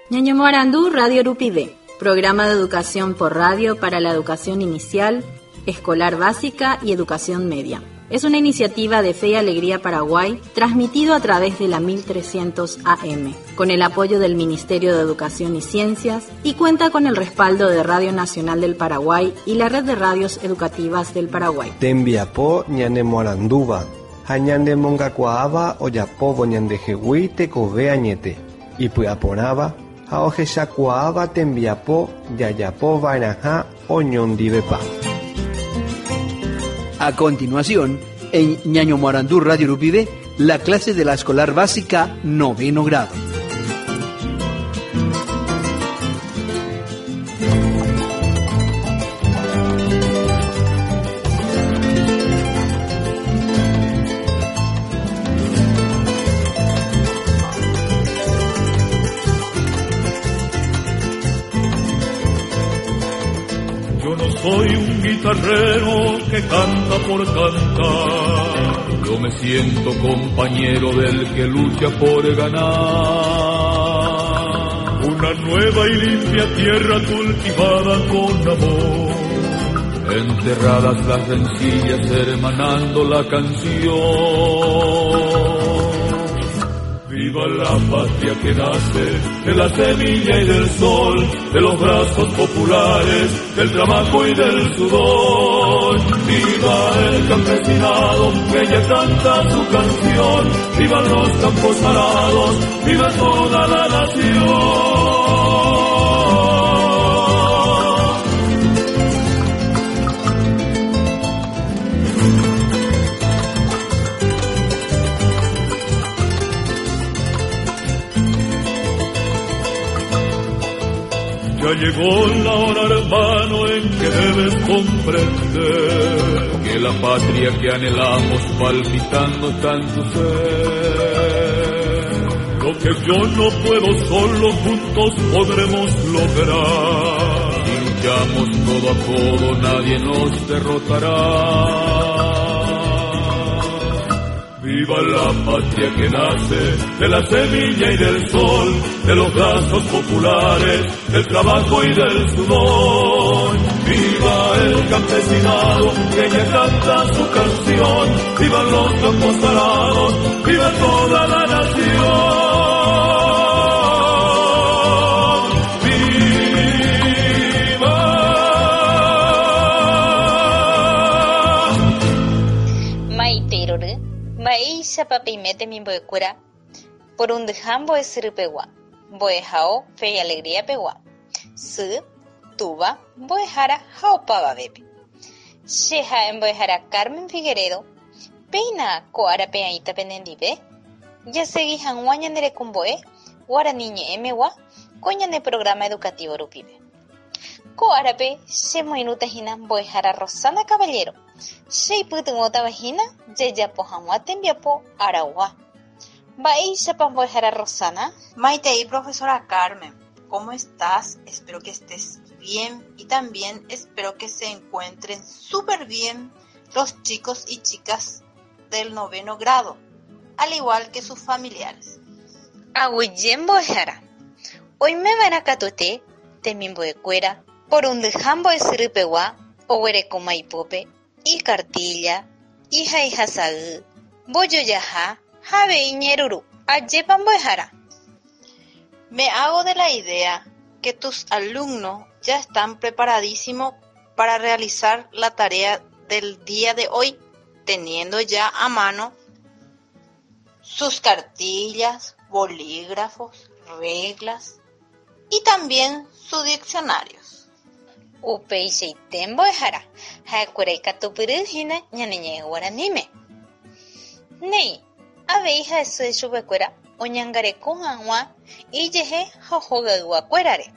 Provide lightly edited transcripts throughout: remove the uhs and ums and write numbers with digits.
Ñañomoarandu Radio Rupive, programa de educación por radio para la educación inicial, escolar básica y educación media. Es una iniciativa de Fe y Alegría Paraguay, transmitido a través de la 1300 AM, con el apoyo del Ministerio de Educación y Ciencias y cuenta con el respaldo de Radio Nacional del Paraguay y la Red de Radios Educativas del Paraguay. Tembiapo ñanemoarandúva ha ñanemongakuaáva ojapóvo ñandehegui tekove añete, ipy'aporãva ha ohechakuaáva tembiapo jajapova'erãha oñondivepa. A continuación, en Ñañomoarandú Radio Rupive, la clase de la escolar básica noveno grado. Yo no soy un guitarrero que canta por cantar. Yo me siento compañero del que lucha por ganar. Una nueva y limpia tierra cultivada con amor. Enterradas las rencillas, hermanando la canción. Viva la patria que nace de la semilla y del sol, de los brazos populares, del trabajo y del sudor. Viva el campesinado que ya canta su canción, viva los campos arados, viva toda la nación. Ya llegó la hora, hermano, en que debes comprender que la patria que anhelamos palpitando está en tu ser. Lo que yo no puedo solo, juntos podremos lograr. Si luchamos codo a codo, nadie nos derrotará. Viva la patria que nace de la semilla y del sol, de los brazos populares, del trabajo y del sudor. Viva el campesinado que ya canta su canción, viva los campos arados, viva toda la nación. ¡Viva! Maitei rory, mba'éichapa peime temimbo'ekuéra porundyha mbo'esyrypegua, mbo'ehao Fe y Alegría pegua, sy, túva, mbo'ehára ha opavavépe. Che ha'e mbo'ehára Carmen Figueredo, péina ko árape aĩta penendive, jasegi hag̃ua ñane rekombo'e guarani ñe'ẽmegua ko ñane programa educativo rupive. Ko árape che moirũta hína mbo'ehára Rosana Caballero, che ipytyvõtava hína jajapo hag̃ua tembiapo aragua. Mba'éichapa mbo'ehára Rosana? Maitei profesora Carmen, ¿cómo estás? Espero que estés bien y también espero que se encuentren súper bien los chicos y chicas del noveno grado, al igual que sus familiares. Aguyje mbo'ehára. Oimeva'erã katuete temimbo'ekuéra porundyha mbo'esyrypegua oguerekóma ipópe ikartílla, ihaihasay, mbojojaha ha avei ñe'ẽruru. Ajépa mbo'ehára. Me hago de la idea que tus alumnos ya están preparadísimos para realizar la tarea del día de hoy, teniendo ya a mano sus cartillas, bolígrafos, reglas y también sus diccionarios. Upeichaite mbo'ehára, ha'ekuéra ikatupyry hína ñane ñe'ẽ guaraníme. Néi, avei ha'ese chupekuéra oñangareko hag̃ua ijehe ha hogayguakuérare.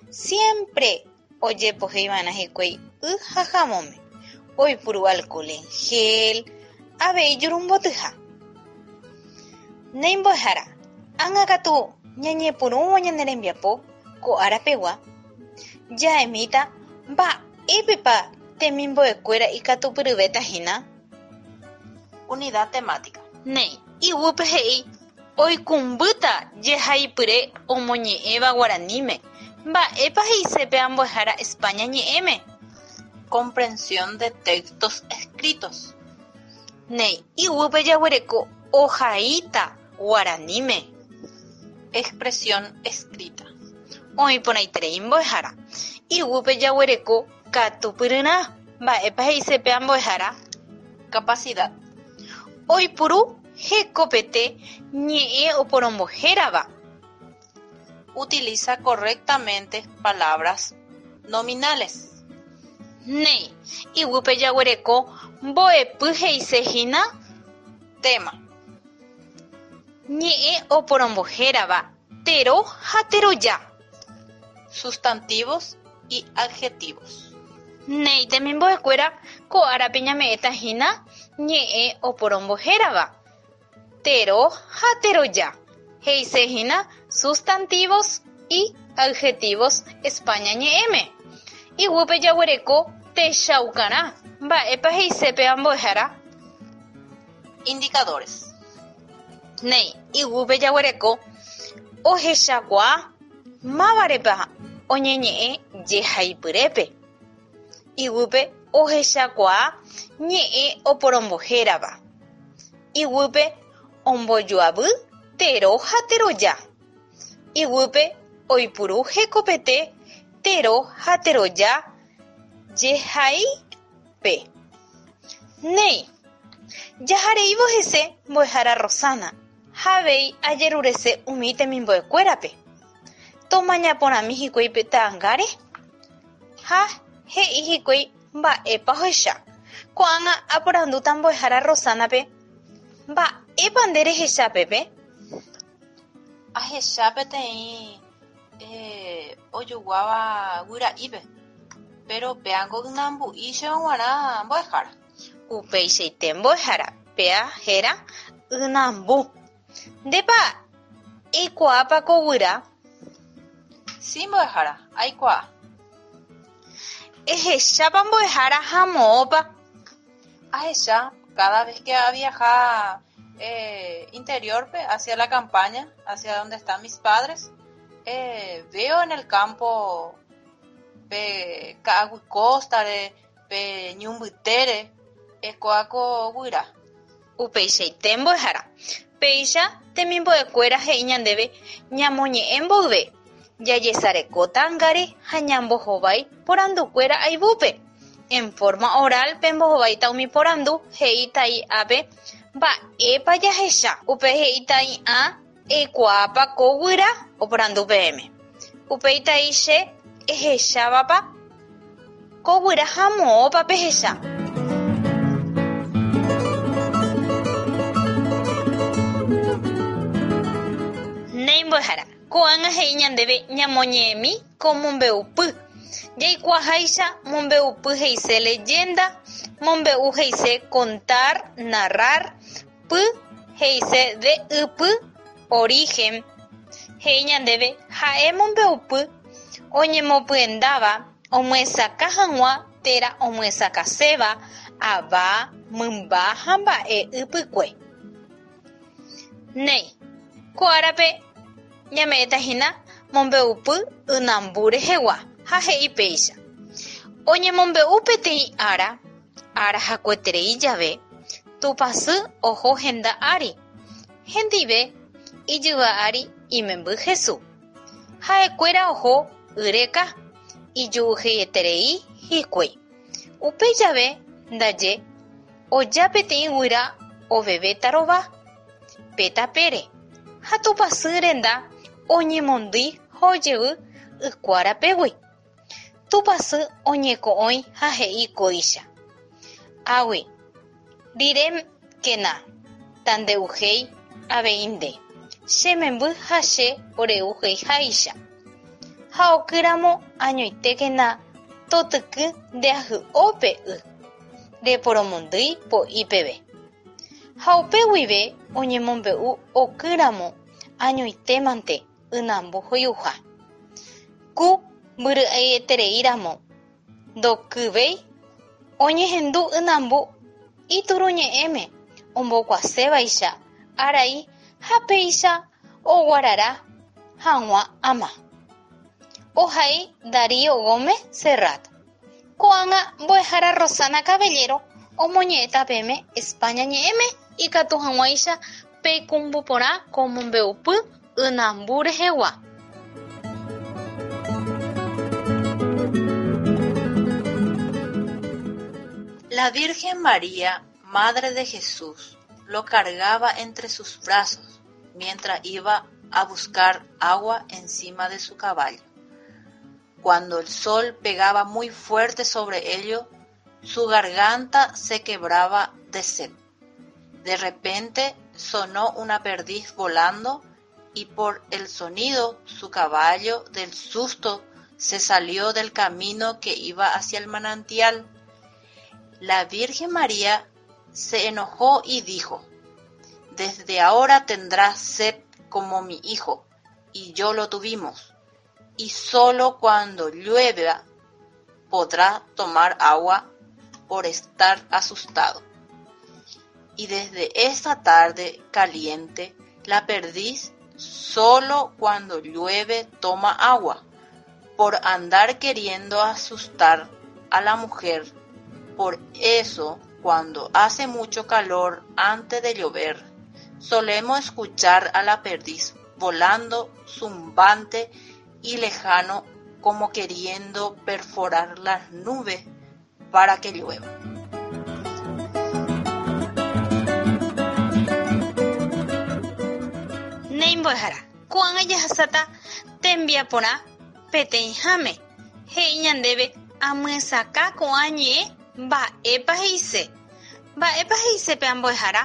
Siempre ojepoheiva'erã hikuái y ha havõme, oipuru alcohol en gel, avei jurumbotyha. Néi mbo'ehára, ág̃akatu ñañepyrũvo ñane rembiapo ko ára pegua, ja'emíta mba'épepa temimbo'ekuéra ikatupyryvéta hína. Unidad temática. Néi, iguýpe he'i. Oikũmbýta jehaipyre omoñe'ẽva guaraníme, mba'épa he'ise pe ambuehára España ñe'ẽme. Comprensión de textos escritos. Néi, iguýpe jaguereko ohaíta guaraníme. Expresión escrita. Oĩ porãiterei mbo'ehára. Iguýpe jaguereko katupyryrã, mba'épa he'ise pe ambuehára. Capacidad. Oipuru hekopete ñe'ẽ oporombohérava. Utiliza correctamente palabras nominales. Néi, iguýpe jaguereko mbo'epy he'isehína. Tema. Ñe'ẽ oporombohérava, tero ha teroja. Sustantivos y adjetivos. Néi temimbo'ekuéra ko árape ñame'ẽtahína ñe'ẽ oporombohérava, tero ha teroja, he'isehína sustantivos y adjetivos España ñe'ẽme. Iguýpe jaguereko techaukarã, mba'épa he'ise pe ambuehára. Indicadores. Néi, iguýpe jaguereko ohechakuaa mávarepa oñeñe'ẽ jehaipyrépe. Iguýpe ohechakuaa ñe'ẽ oporombohérava. Iguýpe ombojoavy tero ha teroja. Iguýpe oipuru hekopete tero ha teroja jehaípe. Néi, jahareívo hese mbo'ehára Rosana ha avei ajerurese umi temimbo'ekuérape. Tomaña porãmi hikuái pe ta'angáre ha he'i hikuái mba'épa ohecha. Ko'ág̃a aporandúta mbo'ehára Rosana-pe, Mba'épa nde rehecha pépe? Ahecha peteĩ ojoguáva guyra'ípe, péro péango ynambu'i chéve g̃uarã mbo'ehára. Upeichaite mbo'ehára, péa héra ynambu. Ndépa eikuaápa ko guyra? Si mbo'ehára, aikuaa. Ehechápa mbo'ehára ha moõpa? Ahecha cada vez que aviaja interior-pe hacia la campaña, hacia donde están mis padres, veo en el campo pe ka'aguy costa-re, pe ñu mbytére, kóa ko guyra. Upeichaite mbo'ehára. Péicha temimbo'ekuéra he'i ñandéve ñamoñe'ẽ mboyve, jajesareko ta'angáre ha ñambohovái porandukuéra ayvúpe. En forma oral pembohováita umi porandu he'íta i'ápe mba'épa jahecha. Upe he'íta i'ã eikuaápa ko guyra oporandu peẽme. Upéi tai che ehechávapa ko guyra ha moõpa pehecha. Néi mbo'ehára, ko'ág̃a he'i ñandéve ñamoñe'ẽmi ko mombe'upy. Jaikuaaháicha mombe'upy he'ise leyenda, mombe'u he'ise contar, narrar, Py he'ise de ypy, origen, he'i ñandéve ha'e mombe'upy oñemopyendáva omyesakã hag̃ua térã omyesakãséva ava, mymba ha mba'e ypykue. Néi, ko árape ñame'ẽta hína mombe'upy ynambu rehegua ha he'i péicha, Oñemombe'u peteĩ ára Ára hakueterei jave, Tupãsy oho henda ári, hendive ijyva ári imemby Hesu. Ha'ekuéra oho yreka, iju'uheieterei hikuái. Upe jave ndaje oja peteĩ guyra oveve tarova pe tapére, ha Tupãsy renda oñemondýi ha ojevy ykuárapegui. Tupãsy oñeko'õi ha he'i kóicha, Águi rire kena, tande'uhéi avei nde, che memby ha che oreuheiháicha. Ha okýramo añoitékena totyky nde ahy'o pe y, reporomondýi po'i peve. Ha upe guive oñemombe'u okýramo añoitémante ynambu hoy'uha. Ku mbyry'aieterei ramo ndokyvéi oñehendu ynambu ituruñe'ẽme ombokuasévaicha arai Ha péicha oguarara hag̃ua ama. Ohai Darío Gómez Serrat. Ko'ág̃a mbo'ehára Rossana Caballero omoñe'ẽta peẽme España ñe'ẽme ikatu hag̃uáicha peikũmby porã ko mombe'upy ynambu rehegua. La Virgen María, Madre de Jesús, lo cargaba entre sus brazos mientras iba a buscar agua encima de su caballo. Cuando el sol pegaba muy fuerte sobre ellos, su garganta se quebraba de sed. De repente sonó una perdiz volando y por el sonido su caballo del susto se salió del camino que iba hacia el manantial. La Virgen María se enojó y dijo, Desde ahora tendrás sed como mi hijo, y yo lo tuvimos, y solo cuando llueva podrá tomar agua por estar asustado. Y desde esa tarde caliente, la perdiz solo cuando llueve toma agua, por andar queriendo asustar a la mujer. Por eso, cuando hace mucho calor antes de llover, solemos escuchar a la perdiz volando zumbante y lejano como queriendo perforar las nubes para que llueva. Néi mbo'ehára, ko'ág̃a jahasáta tembiaporã peteĩháme, he'i ñandéve amyesakã ko'ã ñe'ẽ mba'épa he'ise. Mba'épa he'ise pe ambo'ehára?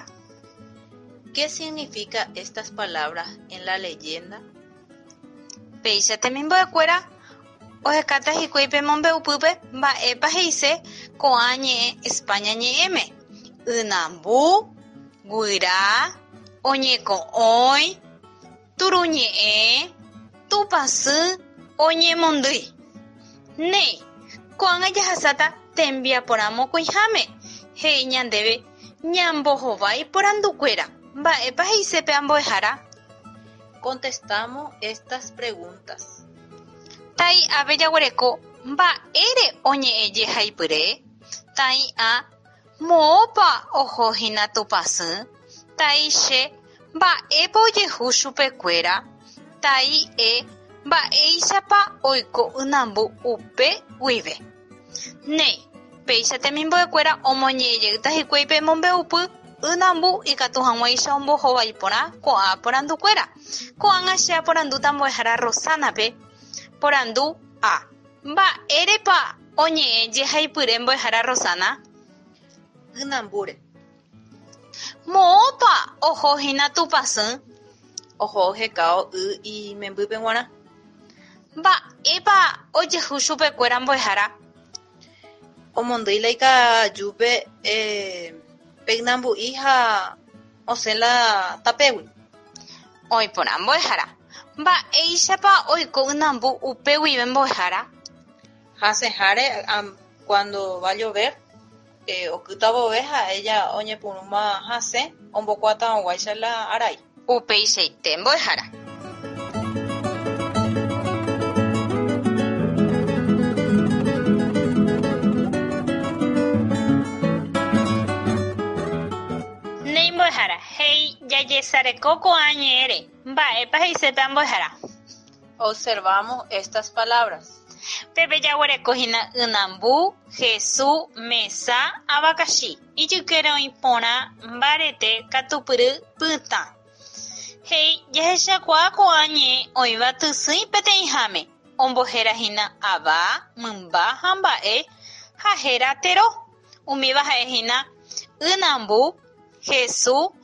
¿Qué significa estas palabras en la leyenda? Péicha temimbo'ekuéra ohekáta hikuái pe mombe'upýpe mba'épa he'ise ko'ã ñe'ẽ España ñe'ẽme, ynambu, guyra, oñeko'õi, turuñe'ẽ, tupãsy, oñemondýi. Néi, ko'ág̃a jahasáta tembiaporã mokõiháme, he'i ñandéve ñambohovái porandukuéra, mba'épa he'ise pe ambo'ehára? Contestamos estas preguntas. Tai ave jaguereko mba'ére oñe'ẽ jehaipyre, tai ã moõpa oho hína Tupãsy, tai che mba'épa ojehu chupekuéra, tai e mba'éichapa oiko ynambu upe guive. Néi, péicha temimbo'ekuéra omoñe'ẽjeýta hikuái pe mombe'upy ynambu ikatu hag̃uáicha ombohovái porã ko'ã porandukuéra. Ko'ág̃a che aporandúta mbo'ehára Rossana-pe, Porandu A. Mba'érepa oñe'ẽ jehaipyre mbo'ehára Rossana? Ynambúre. Moõpa oho hína Tupãsy? Oho ohekáo y imembýpe g̃uarã. Mba'épa ojehu chupekuéra mbo'ehára? Omondýi la ikajúpe pe ynambu'i ha osẽ la tapégui. Oĩ porã mbo'ehára. Mba'éichapa oiko ynambu upe guive mbo'ehára? Hasẽháre cuando va a llover, okýta vove ha'e ja oñepyrũma hasẽ ombokuatarõguáicha la arai. Upeichaite mbo'ehára. Néi mbo'ehára, he'i jajesareko ko'ã ñe'ẽre, mba'épa he'ise pe ambo'ehára? Observamos estas palabras. Pépe jaguereko hína ynambu, Hesu, mesa, avakachi. Ijykére oĩ porã, mbarete, katupyry, pytã. He'i jahechakuaa ko'ã ñe'ẽ oĩva tysỹi peteĩháme, ombohéra hína ava, mymba ha mba'e ha héra tero. Umíva ha'e hína ynambu, Hesu,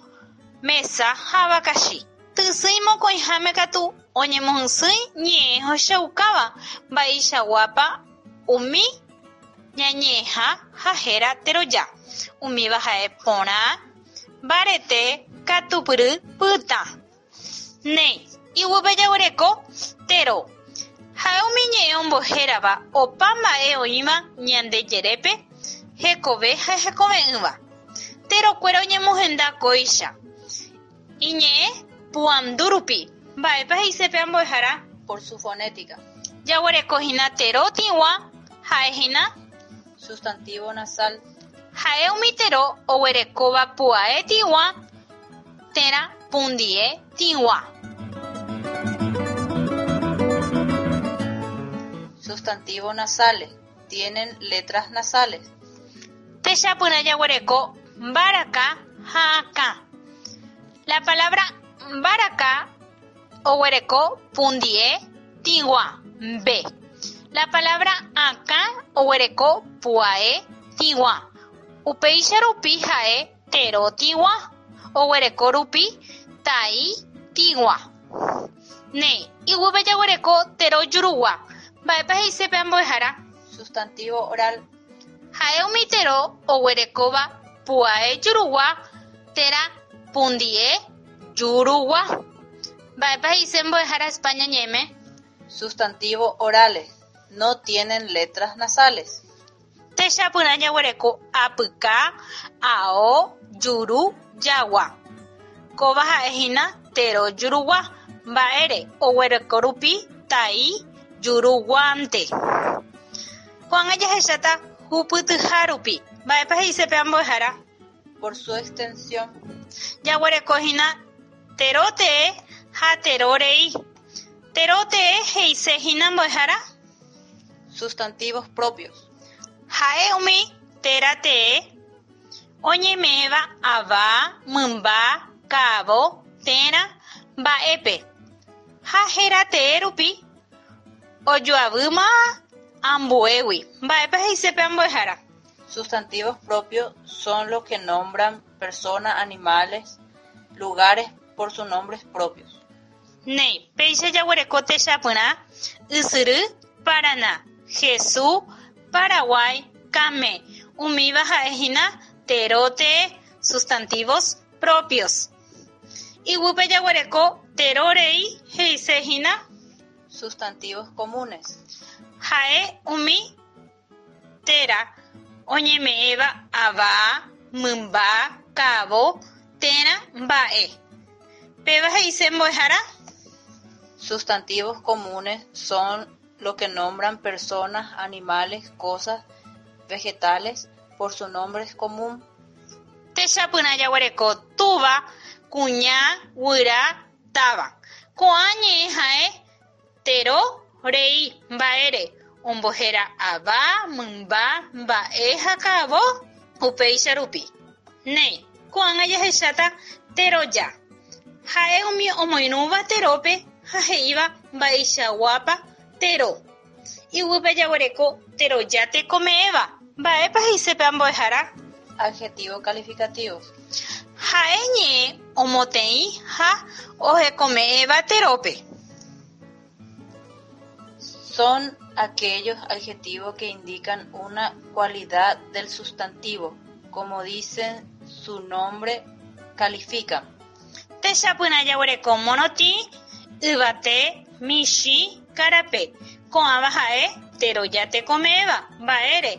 mesa ha avakachi. Tysỹi mokõiháme katu oñemohysỹi ñe'ẽ ohechaukáva mba'eichaguápa umi ñañe'ẽha ha héra teroja. Umíva ha'e porã, mbarete, katupyry, pytã. Néi, iguýpe jaguereko tero. Ha'e umi ñe'ẽ ombohérava opa mba'e oĩva ñande jerépe, hekove ha hekove'ỹva. Terokuéra oñemohenda kóicha. Iñe'ẽ Puandu rupi. Mba'épa he'ise pe ambo'ehára? Por su fonética. Jaguereko hína tero tĩgua ha'e hína. Sustantivo nasal. Ha'e umi tero oguerekóva pu'ae tĩgua térã pundie tĩgua. Sustantivo nasales. Tienen letras nasales. Techapyrã jaguereko mbaraka ha akã. La palabra mbaraka oguereko pundie tĩgua, mbe. La palabra akã oguereko pu'ae tĩgua. Upéicha rupi ha'e tero tĩgua, oguereko rupi tai tĩgua. Néi, iguýpe jaguereko tero jurugua. Mba'épa he'ise pe ambo'ehára? Sustantivo oral. Ha'e umi tero oguerekóva pu'ae jurugua térã pundie jurugua. Mba'épa he'ise mbo'ehára España ñe'ẽme? Sustantivo orales. No tienen letras nasales. Techapyrã jaguereko apyka, ao, juru, jagua. Kóva ha'e hína tero jurugua, mba'ére oguereko rupi tai juruguánte. Ko'ág̃a jahecháta hupytyha rupi. Mba'épa he'ise pe ambo'ehára? Por su extensión. Jaguereko hína tero tee ha tero rei. Tero tee he'ise hína mbo'ehára? Sustantivos propios. Ha'e umi téra tee oñeme'ẽva ava, mymba, ka'avo térã mba'épe ha héra tee rupi ojoavýma ambuégui. Mba'épa he'ise pe ambo'ehára? Sustantivos propios son los que nombran personas, animales, lugares por sus nombres propios. Néi, péicha jaguereko techapyrã, Ysyry, Parana, Hesu, Paraguái, Kame, umíva ha'e hína tero tee, sustantivos propios. Iguýpe jaguereko tero rei he'ise hína. Sustantivos comunes. Ha'e umi térã oñeme'ẽva ava, mymba, ka'avo térã mba'e. Péva he'ise mbo'ehára? Sustantivos comunes son los que nombran personas, animales, cosas, vegetales por su nombres común. Techapyrã jaguereko túva, kuña, guyra, táva. Ko'ã ñe'ẽ ha'e Tero rei mba'ére ombohéra ava, mymba, mba'e ha ka'avo upéicha rupi. Néi, ko'ág̃a jahecháta teroja. Ha'e umi omoirũva terópe ha he'íva mba'eichaguápa tero. Iguýpe jaguereko teroja tekome'ẽva. Mba'épa he'ise pe ambo'ehára? Adjetivo calificativo. Ha'e ñe'ẽ omoteĩ ha ohekome'ẽva terópe. Son aquellos adjetivos que indican una cualidad del sustantivo, como dicen su nombre, califican. Techapyrã jaguereko morotĩ, yvate, michĩ, karape. Ko'ãva ha'e teroja tekome'ẽva, mba'ére?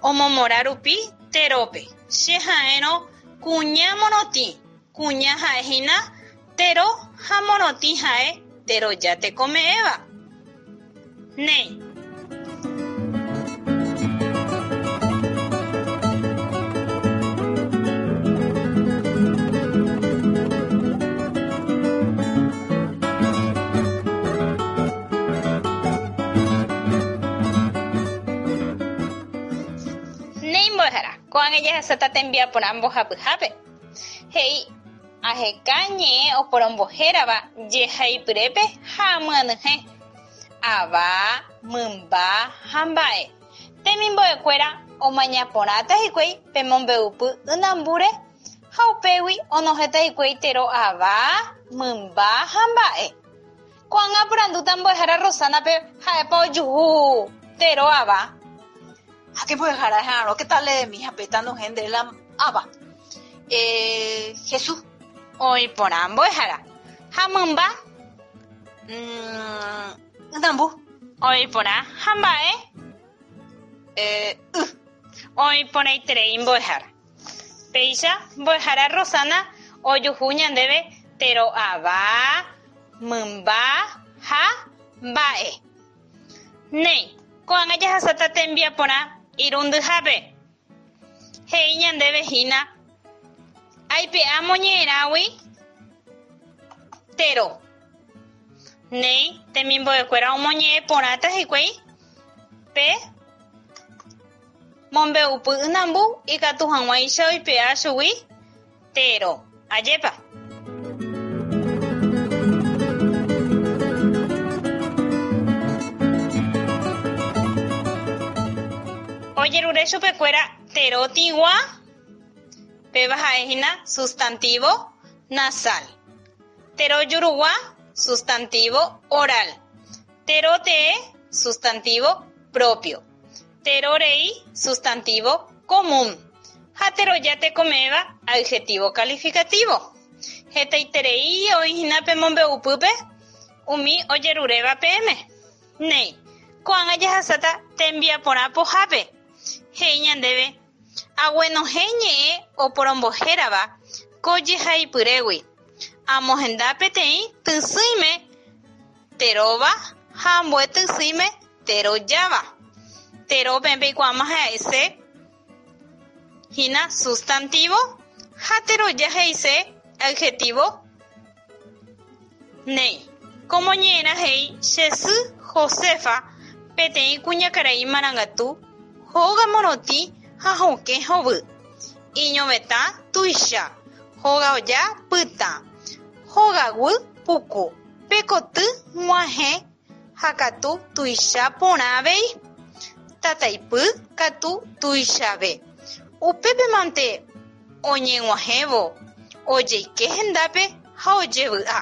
Omomorã rupi terópe. Che ha'érõ kuña morotĩ, kuña ha'e hína tero ha morotĩ ha'e teroja tekome'ẽva. Néi. Néi mbo'ehára, ko'ág̃a jahasáta tembiaporã mbohapyhápe. He'i, Aheka ñe'ẽ oporombohérava jehaipyrépe ha amyanyhẽ, ava, mymba ha mba'e. Temimbo'ekuéra omaña porãta hikuái pe mombe'upy ynambúre ha upégui onohẽta hikuái tero ava, mymba ha mba'e. Ko'ág̃a aporandúta mbo'ehára Rosana-pe ha'épa ojuhu tero ava. Ha che mbo'ehára eha'arõ que tal mi ha pe tanohẽ nde la ava. Eh, Jesús. Oĩ porã mbo'ehára. Ha mymba? Mm, ynambu. Oĩ porã. Ha mba'e? Eh, y. Oĩ porãiterei mbo'ehára. Péicha mbo'ehára Rosana ojuhu ñandéve Tero ava, mymba ha mba'e. Néi, ko'ág̃a jahasáta tembiaporã irundyhápe. He'i ñandéve hína, Aipe'a moñe'ẽrãgui tero. Néi, temimbo'ekuéra omoñe'ẽ porãta hikuái pe mombe'upy ynambu ikatu hag̃uáicha oipe'a chugui tero. Ajépa. Ojerure chupekuéra tero tĩgua, péva ha'ehína sustantivo nasal. Tero jurugua, sustantivo oral. Tero tee, sustantivo propio. Tero rei, sustantivo común. Ha teroja tekome'ẽva, adjetivo calificativo. Hetaiterei oĩ hína pe mombe'upýpe umi ojeruréva peẽme. Néi, ko'ág̃a jahasáta tembiaporã pohápe. He'i ñandéve, Aguenohẽ ñe'ẽ oporombohérava ko jehaipyrégui, amohenda peteĩ tysỹime teróva ha ambue tysỹime terojáva. Tero peẽ peikuaáma ha'ese hína sustantivo ha teroja he'ise adjetivo. Néi, ko moñe'ẽrã he'i che sy Josefa peteĩ kuñakarai marangatu hóga morotĩ ha hokẽ hovy. Iñovetã tuicha, hóga oja pytã, hogaguy puku, pe koty g̃uahẽ ha katu tuicha porã avei. Tataipy katu tuichave. Upépe mante oñeg̃uahẽvo ojeike hendápe ha ojevy'a.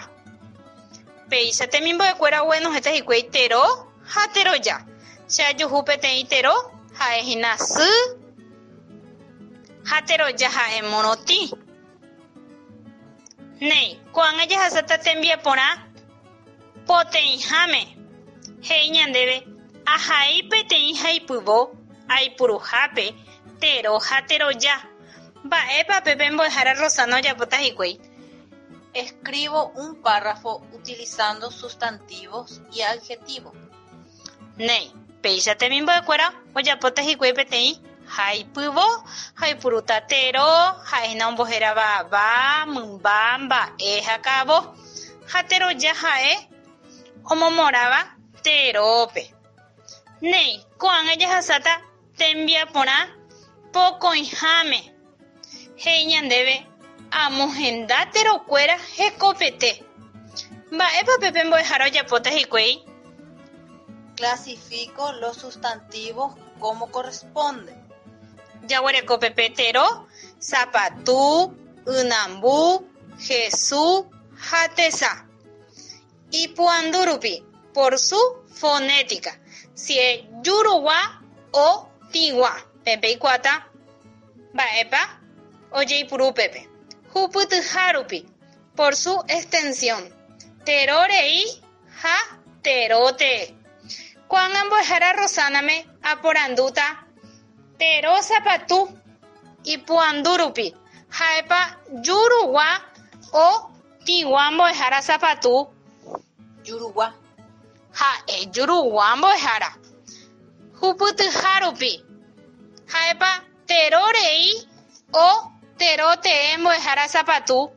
Péicha temimbo'ekuéra oguenohẽta hikuái tero ha teroja. Che ajuhu peteĩ tero ha'e hína sy ha teroja ha'e morotĩ. Néi, ko'ág̃a jahasáta tembiaporã poteĩháme. He'i ñandéve, Ahai peteĩ haipyvo aipuruhápe tero ha teroja. Mba'épa pe mbo'ehára Rosana ojapóta hikuái? Escribo un párrafo utilizando sustantivos y adjetivos. Néi, péicha temimbo'ekuéra ojapóta hikuái peteĩ haipyvo ha oipurúta tero, ha'ehína ombohérava ava, mymba, mba'e ha ka'avo, ha teroja ha'e omomoráva terópe. Néi, ko'ág̃a jahasáta tembiaporã pokõiháme. He'i ñandéve amohenda terokuéra hekopete. Mba'épa pe mbo'ehára ojapóta hikuái? Clasifico los sustantivos como corresponde. Jaguereko pepe tero, sapatu, ynambu, Jesús ha tesa. Ipuandu rupi, por su fonética. Si es jurugua o tĩgua. Peẽ peikuaáta mba'épa ojeipuru upépe. Hupytyha rupi, por su extensión. Tero rei ha tero tee. Ko'ág̃a mbo'ehára Rosáname aporandúta tero sapatu ipuandu rupi, ha'épa jurugua o tĩgua mbo'ehára sapatu. Jurugua. Ha'e jurugua mbo'ehára. Hupytyha rupi, ha'épa tero rei o tero tee mbo'ehára sapatu.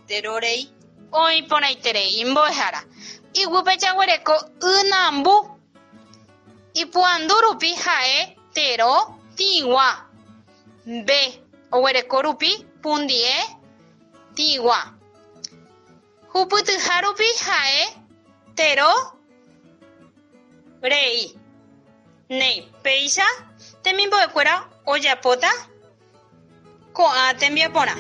Tero rei. Oĩ porãiterei mbo'ehára. Iguýpe jaguereko ynambu. Ipuandu rupi ha'e tero tĩgua. B. Oguereko rupi pundie tĩgua. Hupytyha rupi ha'e tero rei. Néi, péicha temimbo'ekuéra ojapóta ko'ã tembiaporã.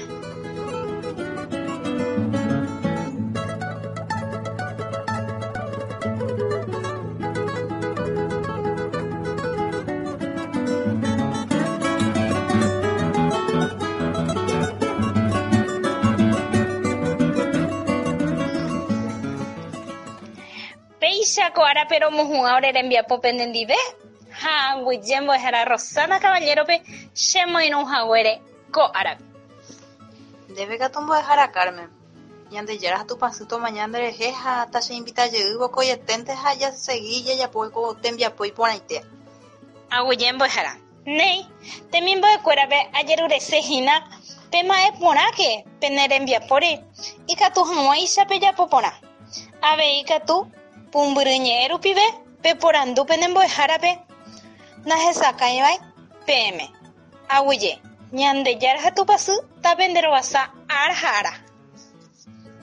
Péicha ko árape romohu'ã ore rembiapo penendive ha aguyje mbo'ehára Rosana Caballero-pe chemoirũ haguére ko árape. Ndéve katu mbo'ehára Carmen. Ñandejára ha Tupãsy tomaña nderehe ha tacheinvitajey vokoieténte ha jasegi jajapo ko tembiapo iporãite. Aguyje mbo'ehára. Néi, temimbo'ekuérape ajerurese hína pema'ẽ porãke pene rembiapóre ikatu hag̃uáicha pejapo porã. Avei katu pumbyry ñe'ẽ rupive peporandu pene mbo'ehárape nahesakãivai peẽme. Aguyje, Ñandejára ha Tupãsy tapenderovasa ára ha ára.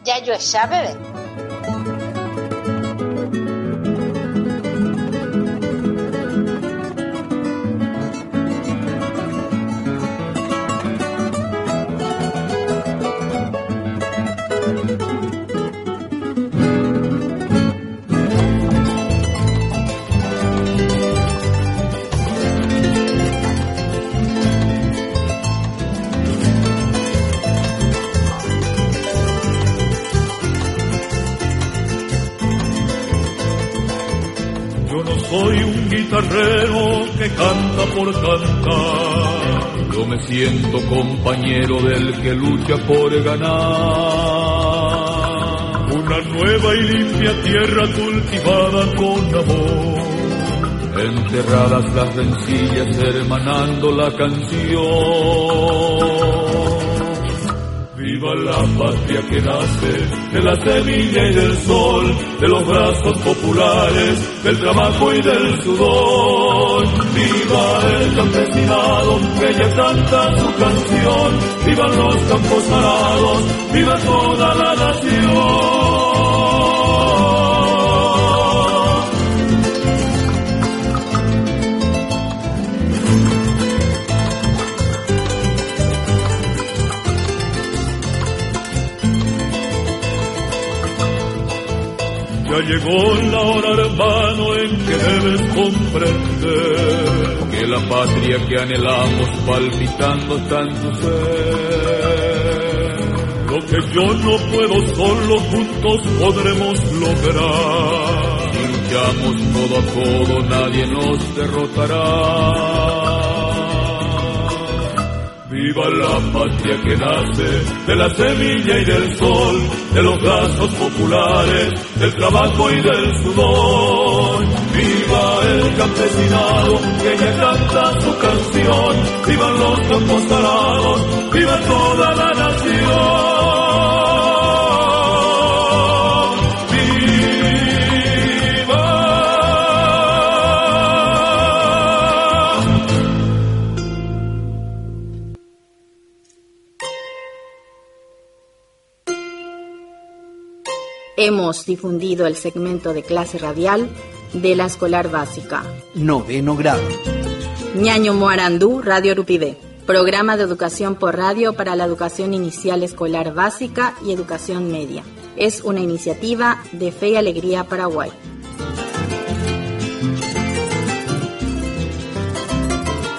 Jajoecha peve. Yo no soy un guitarrero que canta por cantar. Yo me siento compañero del que lucha por ganar. Una nueva y limpia tierra cultivada con amor. Enterradas las rencillas, hermanando la canción. Viva la patria que nace de la semilla y del sol, de los brazos populares, del trabajo y del sudor. Viva el campesinado que ya canta su canción, vivan los campos arados, viva toda la nación. Ya llegó la hora, hermano, en que debes comprender que la patria que anhelamos palpitando está en tu ser. Lo que yo no puedo solo, juntos podremos lograr. Si luchamos codo a codo, nadie nos derrotará. Viva la patria que nace de la semilla y del sol, de los brazos populares, del trabajo y del sudor. Viva el campesinado que ya canta su canción, vivan los campos arados, viva toda la nación. ¡Viva! Hemos difundido el segmento de clase radial de la escolar básica. Noveno grado. Ñaño Moarandú, Radio Rupivé. Programa de educación por radio para la educación inicial escolar básica y educación media. Es una iniciativa de Fe y Alegría Paraguay.